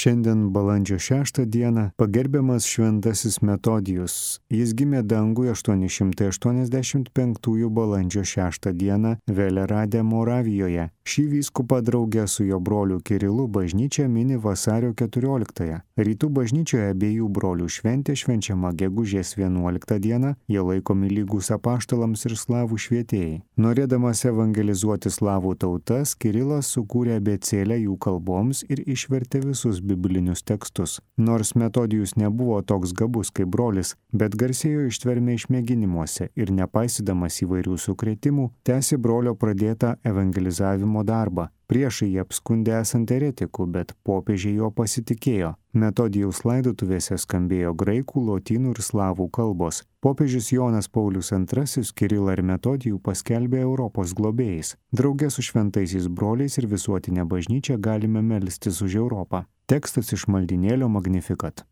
Šiandien balandžio 6 dieną pagerbiamas šventasis Metodijus. Jis gimė danguje 885 balandžio 6 dieną Velerade Moravijoje. Šį vyskupą draugę su jo broliu Kirilu bažnyčia mini vasario 14. Rytų bažnyčioje abiejų brolių šventė švenčiama gegužės 11 dieną, jie laikomi lygus apaštalams ir slavų švietėjai. Norėdamas evangelizuoti slavų tautas, Kirilas sukūrė abėcėlę jų kalboms ir išvertė visus biblinius tekstus. Nors Metodijus nebuvo toks gabus kaip brolis, bet garsėjo ištvermė išmėginimuose ir nepaisydamas įvairių sukrėtimų, tęsė brolio pradėtą evangelizavimo darbą. Priešai jį apskundė esant eretikų, bet popiežiai jo pasitikėjo. Metodijaus laidotuvėse skambėjo graikų, lotynų ir slavų kalbos. Popiežius Jonas Paulius II Kirilą ir Metodijų paskelbė Europos globėjais. Drauge su šventaisiais broliais ir visuotinė bažnyčia galime melstis už Europą. Tekstas iš maldynėlio Magnificat.